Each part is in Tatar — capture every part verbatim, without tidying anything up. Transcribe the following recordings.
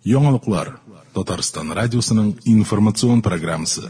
Яңалыклар Татарстан радиосының информацион программасы.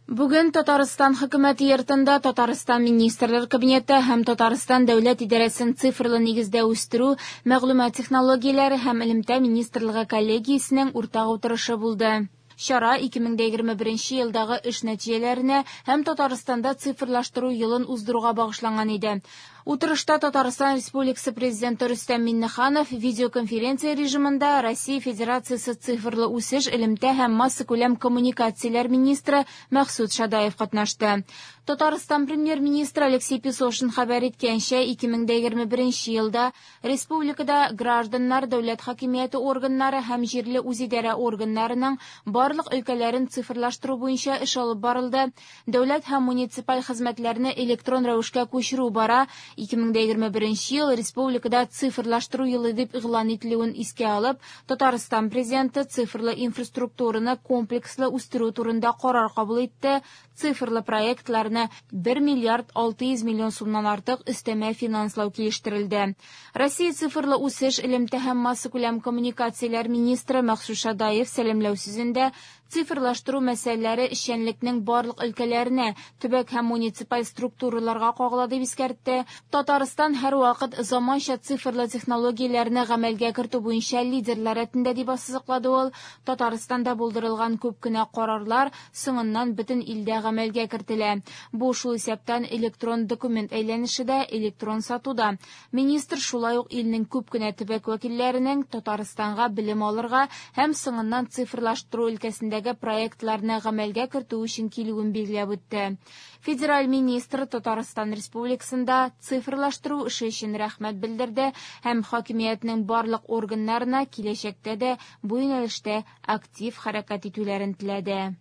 Бүген Татарстан хөкүмәте йортында Татарстан Министрлар Кабинеты һәм Татарстан Дәүләт идарәсен цифрлы нигездә үстерү, мәгълүмат технологияләре һәм элемтә министрлыгы коллегиясенең уртак утырышы булды. Чара ике мең егерме беренче елдагы эш нәтиҗәләренә һәм Татарстанда цифрлаштыру елын уздыруга багышланган иде. Утырышта Татарстан Республикасы Президенты Рөстәм Миңнеханов видеоконференция режимында Россия Федерациясе цифрлы үсеш, элемтә һәм массакүләм коммуникацияләр министры Мәхсүт Шадаев катнашты. Татарстан премьер-министры Алексей Песошин хәбәр иткәнчә, ике мең егерме беренче елда республикада гражданнар, дәүләт хакимияте органнары һәм җирле үзидарә органнарының барлык өлкәләрен цифрлаштыру буенча эш алып барылды. Дәүләт һәм муниципаль хезмәтләрне электрон рәвешкә күчерү бара. ике мең егерме беренче ел республикада цифрлаштыру елы дип игълан ителүен искә алып, Татарстан президенты цифрлы инфраструктураны комплекслы үстерү турында карар кабул итте. Цифрлы проектларны бер миллиард алты йөз миллион сумнан артык өстәмә финанслау килештерелде. Россия цифрлы үсеш, элемтә һәм массакүләм коммуникацияләр министры Мәхсүт Шадаев сәламләү сүзендә цифрлаштыру мәсьәләләре эшчәнлекнең барлык өлкәләренә, төбәк һәм муниципаль структураларга кагыла дип искәртте. Татарстан һәрвакыт заманча цифрлы технологияләрне гамәлгә кертү буенча лидерлар рәтендә дип ассызыклады ул. Татарстанда булдырылган күп кенә карарлар соңыннан бөтен илдә гамәлгә кертелә. Бу шул исәптән электрон документ әйләнеше дә, электрон сату да. Министр шулай ук илнең күп кенә төбәк вәкилләренең Татарстанга белем алырга һәм соңыннан цифрлаштыру өлкәсендә проектларны гамәлгә кертү өчен килүен билгеләп үтте. Федераль министр Татарстан Республикасында цифрлаштыру эше өчен рәхмәт белдерде һәм хакимиятнең барлык органнарына киләчәктә дә бу юнәлештә актив хәрәкәт итүләрен теләде.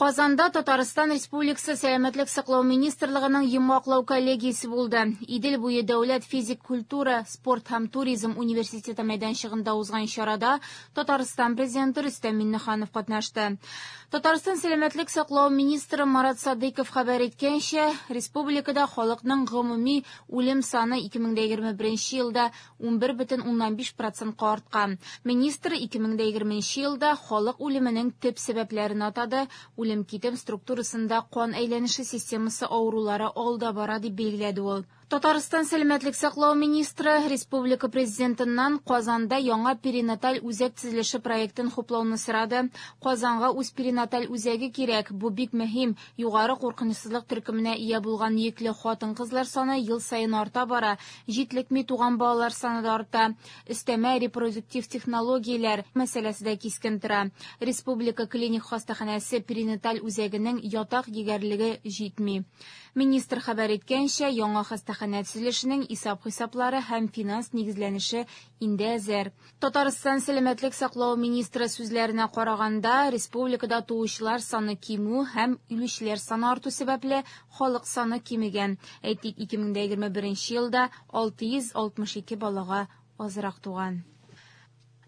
Казанда Татарстан Республикасы Сәламәтлек саклау министрлыгының йомгаклау коллегиясе булды. Идел буе дәүләт физик культура, спорт һәм туризм университеты мәйданчыгында узган чарада Татарстан президенты Рөстәм Миңнеханов катнашты. Татарстан Сәламәтлек саклау министры Марат Садыйков хәбәр иткәнчә, республикада халыкның гомуми үлем саны ике мең егерме беренче елда унбер бөтен уннан биш процентка арткан. Министр ике мең егерменче елда халык үлеменең төп сәбәпләрен атады. Үлем китем структурасында кан әйләнеше системасы авырулары алда бара дип билгеләде ул. Татарстан Сәламәтлек саклау министры республика президентыннан Казанда яңа перинаталь үзәк төзелеше проектын хуплауны сорады. Казанга үз перинаталь үзәге кирәк. Бу бик мөһим. Югары куркынычсызлык төркеменә ия булган йөкле хатын-кызлар саны ел саен арта бара. Җитлекми туган балалар саны да арта. Өстәмә репродуктив технологияләр мәсьәләсе дә кискен тора. Республика клиник хастаханәсе перинаталь үзәгенең ятак егәрлеге җитми. Министр хәбәр иткәнчә, яңа хастаханә төзелешенең исап-хисаплары һәм финанс нигезләнеше инде әзер. Татарстан Сәламәтлек саклау министры сүзләренә караганда, республикада туучылар саны кимү һәм үлүчеләр саны арту сәбәпле халык саны кимегән. Әйтик, ике мең егерме беренче елда алты йөз алтмыш ике балага азрак туган.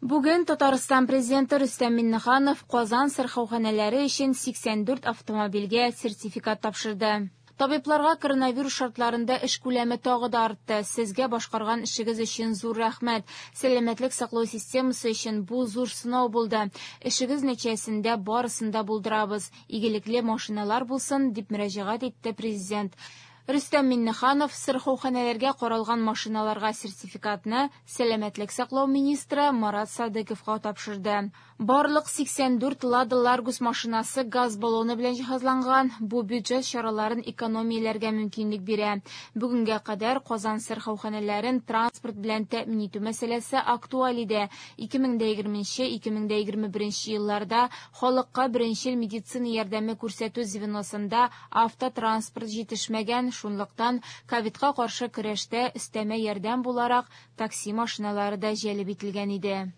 Бүген Татарстан президенты Рөстәм Миңнеханов Казан сырхауханәләре өчен сиксән дүрт автомобильгә сертификат тапшырды. Табибларга коронавирус шартларында эш күләме тагы да артты. Сезгә башкарган эшегез өчен зур рәхмәт. Сәламәтлек саклау системасы өчен бу зур сынау булды. Эшегез нәтиҗәсендә барысын да булдырабыз. Игелекле машиналар булсын, дип мөрәҗәгать итте президент. Рөстәм Миңнеханов сырхауханәләргә каралган машиналарга сертификатны Сәламәтлек саклау министры Марат Садыйковка тапшырды. Барлык сиксән дүрт Лада Ларгус машинасы газ баллоны белән җиһазланган. Бу бюджет чараларын экономияләргә мөмкинлек бирә. Бүгенгә кадәр Казан сырхауханәләрен транспорт белән тәэмин итү мәсьәләсе актуаль иде. ике мең егерменче - ике мең егерме беренче елларда халыкка беренчел медицина ярдәме күрсәтү звеносында автотранспорт җитешмәгән. Шунлыктан ковидка каршы көрәштә өстәмә ярдәм буларак такси машиналары да җәлеп ителгән иде.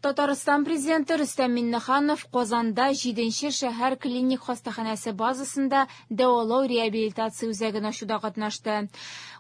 Татарстан президенты Рөстәм Миңнеханов Казанда җиденче шәһәр клиник хастаханәсе базасында дәвалау реабилитация үзәген ачуда катнашты.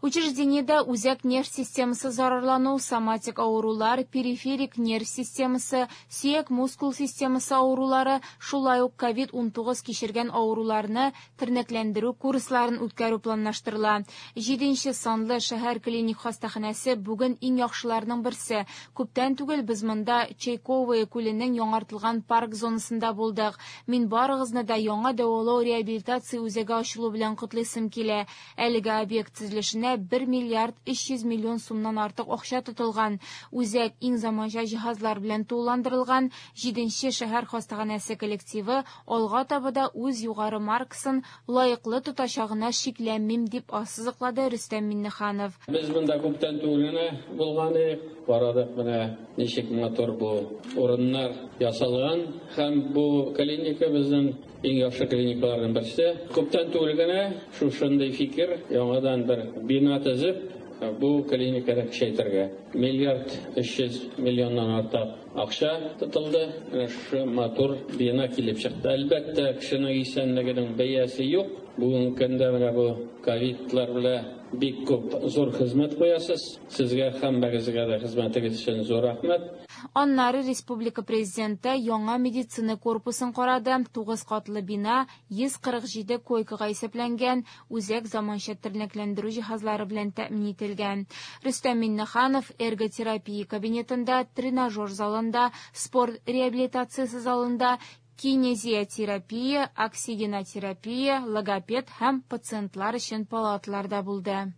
Учреждениедә үзәк нерв системасы зарарлану, соматик авырулар, периферик нерв системасы, сөяк-мускул системасы авырулары, шулай ук ковид унтугыз кичергән авыруларны тернәкләндерү курсларын үткәрү планлаштырыла. Җиденче санлы шәһәр клиник хастаханәсе бүген иң яхшыларның берсе. Күптән түгел без монда Ручейковое күленең яңартылган парк зонасында булдык. Мин барыгызны да яңа дәвалау реабилитация үзәге ачылу белән котлыйсым килә. Әлеге объект төзелешенә бер миллиард өч йөз миллион сумнан артык акча тотылган. Үзәк иң заманча җиһазлар белән тулыландырылган. Җиденче шәһәр хастаханәсе коллективы алга таба да үз югары маркасын лаеклы тотачагына шикләнмим, дип ассызыклады Рөстәм Миңнеханов. Без монда күптән түгел генә булган идек. Карадык менә ничек матур бу урыннар ясалган, һәм бу клиника безнең иң яхшы клиникаларның берсе. Күптән түгел генә шушындый фикер, яңадан бер бина төзеп, бу клиниканы көчәйтергә. Миллиард өч йөз миллионнан артык акча тотылды. Менә шушы матур бина килеп чыкты. Әлбәттә, кешенең исәнлегенең бәясе юк. Бүгенге көндә менә бу ковидлар белән бик күп зур хезмәт куясыз. Сезгә һәммәгезгә дә хезмәтегез өчен зур рәхмәт. Аннары республика президенты яңа медицина корпусын карады. Тугыз катлы бина йөз кырык җиде койкага исәпләнгән, үзәк заманча тернәкләндерү җиһазлары белән тәэмин ителгән. Рөстәм Миңнеханов эрготерапия кабинетында, тренажер залында, спорт реабилитациясе залында, кинезиотерапия, оксигенотерапия, логопед һәм пациентлар өчен палаталарда булды.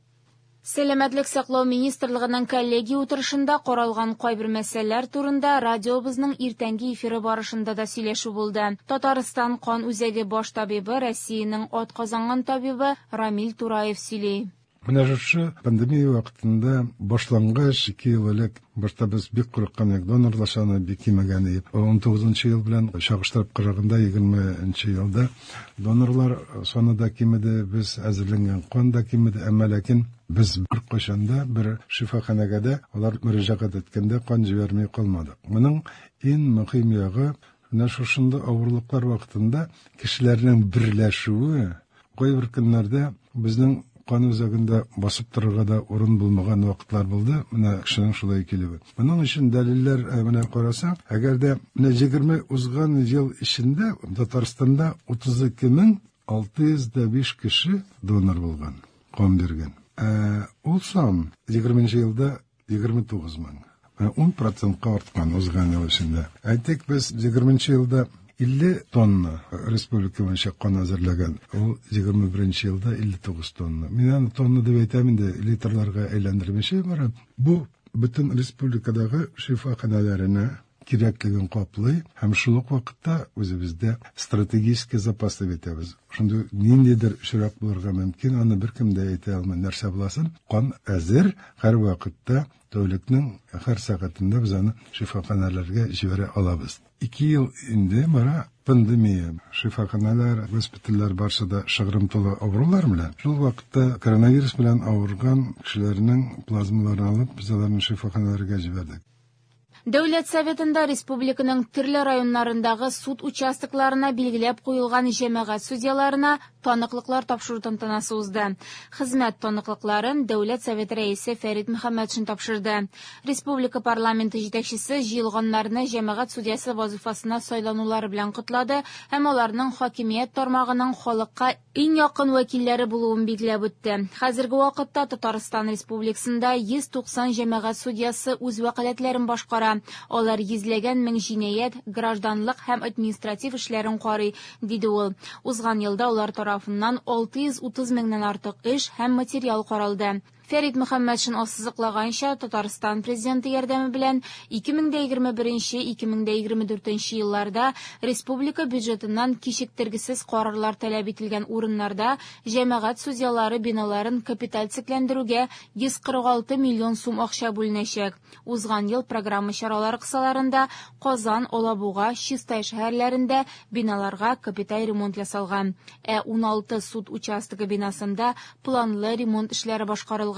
Сәламәтлек саклау министрлыгының коллегия утырышында каралган кайбер мәсьәләләр турында радиобызның иртәнге эфиры барышында да сөйләшү булды. Татарстан кан үзәге баш табибы, Россиянең атказанган табибы Рамил Тураев сөйли. Менә шушы пандемия вакытында башлангач, ике ел элек башта без бик курыккан идек, донорлар саны бик кимегән иде. ун тугызынчы ел белән чагыштырып караганда егерменче елда донорлар саны да кимеде, без әзерләнгән кан да кимеде, әмма ләкин без бер кайчан да бер шифаханәгә дә алар мөрәҗәгать иткәндә кан җибәрми калмадык. Моның иң мөһим ягы менә шушында авырлыклар вакытында кешеләрнең берләшүе. Кайбер көннәрдә безнең кан үзәгендә басып торырга да урын булмаган вакытлар булды. Менә кешенең шулай килүе. Моның өчен дәлилләр, менә карасаң, әгәр дә менә егерме узган ел эчендә Татарстанда утыз ике мең алты йөз дә биш кеше донор булган, кан биргән. Ә ул сан егерменче елда егерме тугыз мең. Менә ун процентка арткан узган ел эчендә. Әйтик, без егерменче елда илле тонна республика буенча кан әзерләгән. Ул егерме беренче елда илле тугыз тонна. Мин аны тонна дип әйтәм инде, литрларга әйләндермичә барам. Бу бөтен республикадагы шифаханәләренә кирәклеген каплый һәм шул ук вакытта үзебездә стратегический запас дип әйтәбез. Шундый ниндидер очрак булырга мөмкин, аны беркем дә әйтә алмый нәрсә буласын. Кан әзер, һәр вакытта тәүлекнең һәр сәгатендә без аны шифаханәләргә җибәрә алабыз. Ике ел инде бара пандемия, шифаханәләр, госпитальләр барсы да шыгрым тулы авырулар белән. Шул вакытта коронавирус белән авырган кешеләрнең плазмаларын алып, без аларны шифаханәләргә җибәрдек. Дәүләт Советында республиканың төрле районнарындагы суд участокларына билгеләп куелган җәмәгать судьяларына таныклыклар тапшыру тантанасы узды. Хезмәт таныклыкларын Дәүләт Советы рәисе Фәрит Мөхәммәтшин тапшырды. Республика парламенты җитәкчесе җыелганнарны җәмәгать судьясы вазифасына сайланулары белән котлады һәм аларның хакимият тармагының халыкка иң якын вәкилләре булуын билгеләп үтте. Хәзерге вакытта Татарстан Республикасында йөз туксан җәмәгать судьясы үз вәкаләтләрен башкара. Алар йөзләгән мең җинаять, гражданлык һәм административ эшләрен карый, диде ул. Узган елда алар тарафыннан алты йөз утыз меңнән артык эш һәм материал каралды. Фәрит Мөхәммәтшин ассызыклаганча, Татарстан президенты ярдәме белән ике мең дә егерме беренче - ике мең дә егерме дүртенче елларда республика бюджетыннан кичектергесез карарлар таләп ителгән урыннарда җәмәгать судьялары биналарын капиталь төзекләндерүгә йөз кырык алты миллион сум акча бүленәчәк. Узган ел программа чаралары кысаларында Казан, Алабуга, Чистай шәһәрләрендә биналарга капиталь ремонт ясалган. Ә уналты суд участогы бинасында планлы ремонт эшләре башкарылган.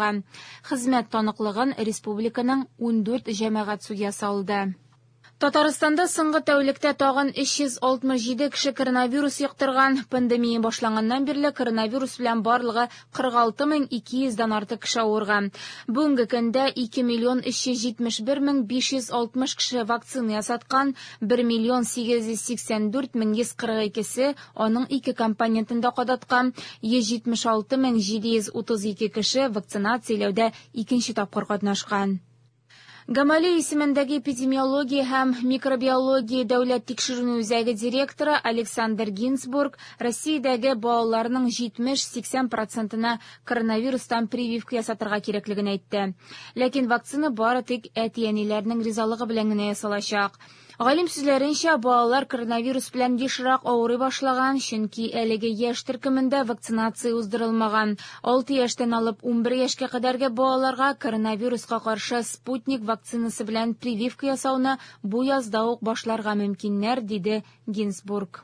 Хезмәт таныклыгын республиканың ундүрт җәмәгать судьясы алды. Татарстанда соңгы тәүлектә тагын өч йөз алтмыш җиде кеше коронавирус йоктырган. Пандемия башланганнан бирле коронавирус белән барлыгы кырык алты мең ике йөздән артык кеше авырган. Бүгенге көндә ике миллион өч йөз җитмеш бер мең биш йөз алтмыш кеше вакцина ясаткан, бер миллион сигез йөз сиксән дүрт мең йөз кырык икесе аның ике компонентын да кадаткан, йөз җитмеш алты мең җиде йөз утыз ике кеше вакцинацияләүдә икенче тапкыр катнашкан. Гамалей исемендәге эпидемиология һәм микробиология дәүләт тикшеренү үзәге директоры Александр Гинцбург Россиядәге балаларның җитмеш-сиксән процентына коронавирустан прививка ясатырга кирәклеген әйтте. Ләкин вакцина бары тик әти-әниләрнең ризалыгы белән генә ясалачак. Галим сүзләренчә, балалар коронавирус белән ешрак авырый башлаган, чөнки әлеге яшь төркемендә вакцинация уздырылмаган. Алты яшьтән алып унбер яшькә кадәрге балаларга коронавируска каршы Спутник вакцинасы белән прививка ясауны бу язда ук башларга мөмкиннәр, диде Гинцбург.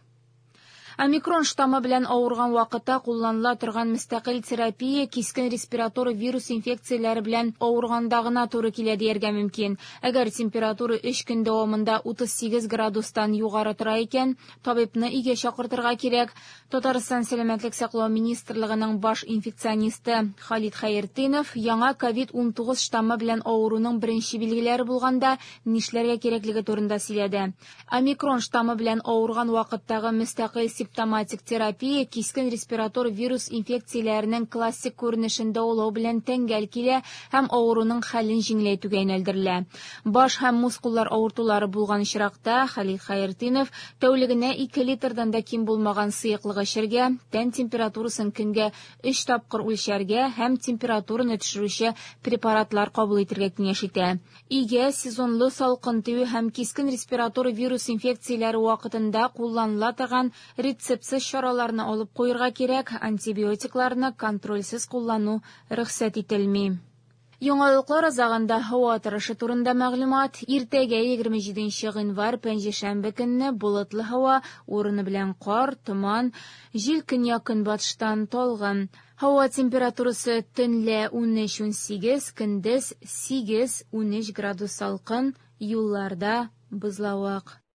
Омикрон штаммы белән авырган вакытта кулланыла торган мөстәкыйль терапия кискен респиратор вирус инфекцияләре белән авырганда гына туры килә дияргә мөмкин. Әгәр температура өч көн дәвамында утыз сигез градустан югары тора икән, табибны өйгә чакыртырга кирәк. Татарстан Сәламәтлек саклау министрлыгының баш инфекционисты Халид Хәйретдинов яңа ковид унтугыз штаммы белән авыруның беренче билгеләре булганда нишләргә кирәклеге турында сөйләде. Омикрон штаммы белән авырган вакыттагы мөстәкыйль симптоматик терапия кискен респиратор вирус инфекцияләренең классик күренешен дәвалау белән тәңгәл килә һәм авыруның хәлен җиңеләйтүгә юнәлдерелә. Баш һәм мускуллар авыртулары булган очракта Халид Хәйретдинов тәүлегенә ике литрдан да ким булмаган сыеклык эчәргә, тән температурасын көнгә өч тапкыр үлчәргә һәм температураны төшерүче препаратлар кабул итәргә киңәш итә. Өйгә сезонлы салкын тию һәм кискен респиратор вирус инфекцияләре вакытында кулланыла торган рецептсыз чараларны алып куярга кирәк, антибиотикларны контрольсез куллану рөхсәт ителми. Яңалыклар азагында һава торышы турында мәгълүмат. Иртәгә егерме җиденче гыйнвар пәнҗешәмбе көнне болытлы һава, урыны белән кар, томан, җил көньяк-көнбатыштан талгын. Һава температурасы төнлә унөч унсигез, көндез сигез унөч градус салкын, юлларда бозлавык.